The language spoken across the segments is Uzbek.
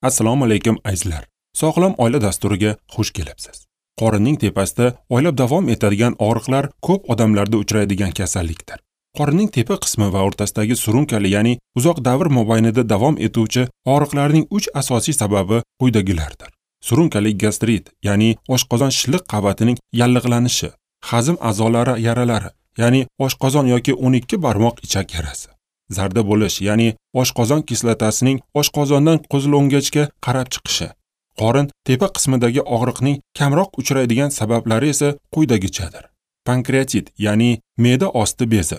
Assalomu alaykum azizlar. Sog'lom oila dasturiga xush kelibsiz. Qorinning tepasida oylab davom etadigan og'riqlar ko'p odamlarda uchraydigan kasallikdir. Qorinning tepa qismi va o'rtasidagi surunkali, ya'ni uzoq davr mobaynida davom etuvchi og'riqlarning 3 asosiy sababi quyidagilardir. Surunkali gastrit, ya'ni oshqozon shilliq qavatining yallig'lanishi, hazm a'zolari yaralari, ya'ni oshqozon yoki 12 barmoq ichak yarasi. Zarda bo'lish, ya'ni oshqozon kislotasining oshqozondan qo'zg'olongachga qarab chiqishi. Qorin tepa qismidagi og'riqning kamroq uchraydigan sabablari esa quyidagichadir. Pankreatit, ya'ni me'da osti bezi,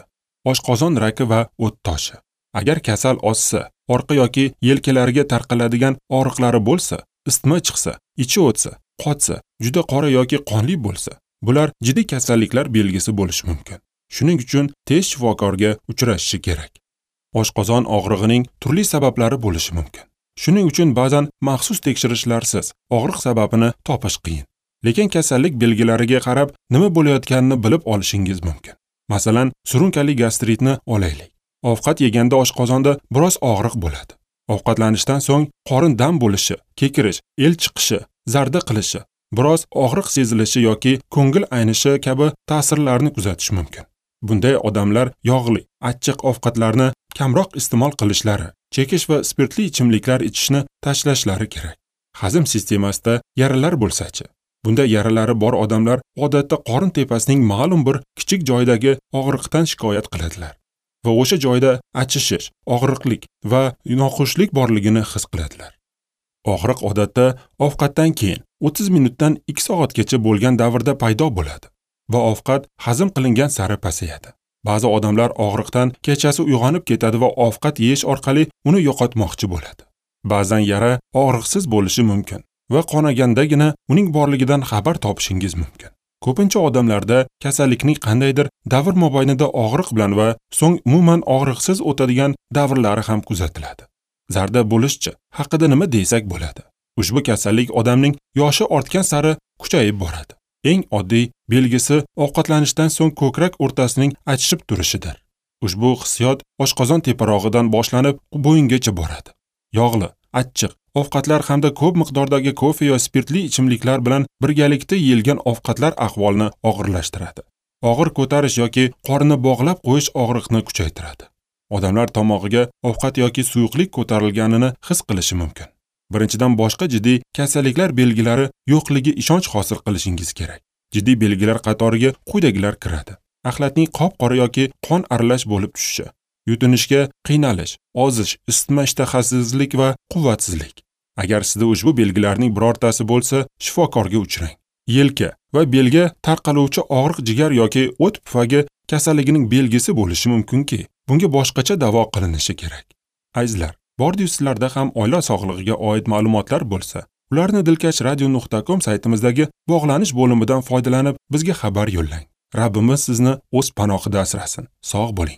oshqozon raki va o't toshi. Agar kasal ozsa, orqa yoki yelkalariga tarqaladigan og'riqlari bo'lsa, isitma chiqsa, ichi o'tsa, qotsa, juda qora yoki qonli bo'lsa, bular jiddiy kasalliklar belgisi bo'lishi mumkin. Shuning uchun tez shifokorga uchrashishi kerak. Oshqozon og'rig'ining turli sabablari bo'lishi mumkin. Shuning uchun ba'zan maxsus tekshirishlarsiz og'riq sababini topish qiyin. Lekin kasallik belgilariga qarab nima bo'layotganini bilib olishingiz mumkin. Masalan, surunkali gastritni olaylik. Ovqat yeganda oshqozonda biroz og'riq bo'ladi. Ovqatlanishdan so'ng qorin dam bo'lishi, kekirish, el chiqishi, zarda qilishi, biroz og'riq sezilishi yoki ko'ngil aynishi kabi ta'sirlarni kuzatish mumkin. Bunday odamlar yog'li, achchiq ovqatlarni kamroq iste'mol qilishlari, chekish va spirtli ichimliklar ichishni tashlashlari kerak. Hazm sistemasida yaralar bo'lsa-chi? Bunday yaralari bor odamlar odatda qorin tepasining ma'lum bir kichik joydagi og'riqdan shikoyat qiladilar va o'sha joyda achishish, og'riqlik va noxushlik borligini his qiladilar. Og'riq odatda ovqatdan keyin 30 minutdan 2 soatgacha bo'lgan davrda paydo bo'ladi va ovqat hazm qilingan sari pasayadi. Ba'zi odamlar og'riqdan kechasi uyg'onib ketadi va ovqat yeyish orqali uni yo'qotmoqchi bo'ladi. Ba'zan yara og'riqsiz bo'lishi mumkin va qonagandagina uning borligidan xabar topishingiz mumkin. Ko'pincha odamlarda kasallikning qandaydir davr mobaynida og'riq bilan va so'ng umuman og'riqsiz o'tadigan davrlari ham kuzatiladi. Zarda bo'lishchi haqida nima desak bo'ladi? Ushbu kasallik odamning yoshi ortgan sari kuchayib boradi. Eng oddiy belgisi ovqatlanishdan so'ng ko'krak o'rtasining achishib turishidir. Ushbu hissiyot oshqozon teparog'idan boshlanib bo'yingacha boradi. Yog'li, achchiq ovqatlar hamda ko'p miqdordagi kofe yo spirtli ichimliklar bilan birgalikda yeyilgan ovqatlar ahvolni og'irlashtiradi. Og'ir ko'tarish yoki qorni bog'lab qo'yish og'riqni kuchaytiradi. Odamlar tomog'iga ovqat yoki suyuqlik ko'tarilganini his qilishi mumkin. Birinchidan, boshqa jiddiy kasalliklar belgilari yo'qligi ishonch hosil qilishingiz kerak. Jiddiy belgilar qatoriga quyidagilar kiradi: axlatning qop-qora yoki qon aralash bo'lib tushishi, yutinishga qiynalish, ozish, isitma ishtahasizlik va quvvatsizlik. Agar sizda ushbu belgilarning birortasi bo'lsa, shifokorga uchrang. Yelka va belga tarqaluvchi og'riq jigar yoki o't pufagi kasalligining belgisi bo'lishi mumkinki, bunga boshqacha davo qilinishi kerak. Azizlar, bordi-yu sizlarda ham oila sog'lig'iga oid ma'lumotlar bo'lsa, ularni dilkashradio.com saytimizdagi bog'lanish bo'limidan foydalanib bizga xabar yo'llang. Rabbimiz sizni o'z panohida asrasin. Sog' bo'ling.